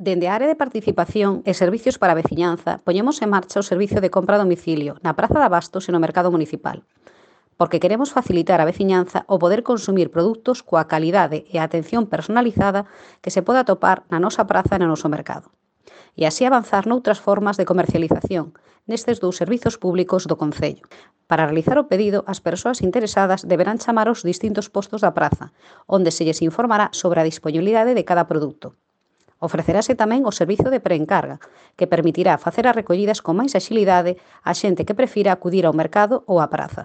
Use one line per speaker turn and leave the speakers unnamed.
Dende a área de participación e servicios para a veciñanza, poñemos en marcha o servicio de compra a domicilio na Praza de Abastos e no Mercado Municipal, porque queremos facilitar á veciñanza o poder consumir produtos coa calidade e a atención personalizada que se poda atopar na nosa praza e no noso mercado. E así avanzar noutras formas de comercialización nestes dous servizos públicos do Concello. Para realizar o pedido, as persoas interesadas deberán chamar aos distintos postos da praza, onde se lles informará sobre a disponibilidade de cada produto. Ofrecerase tamén o servizo de preencarga, que permitirá facer as recollidas con máis axilidade á xente que prefira acudir ao mercado ou á praza.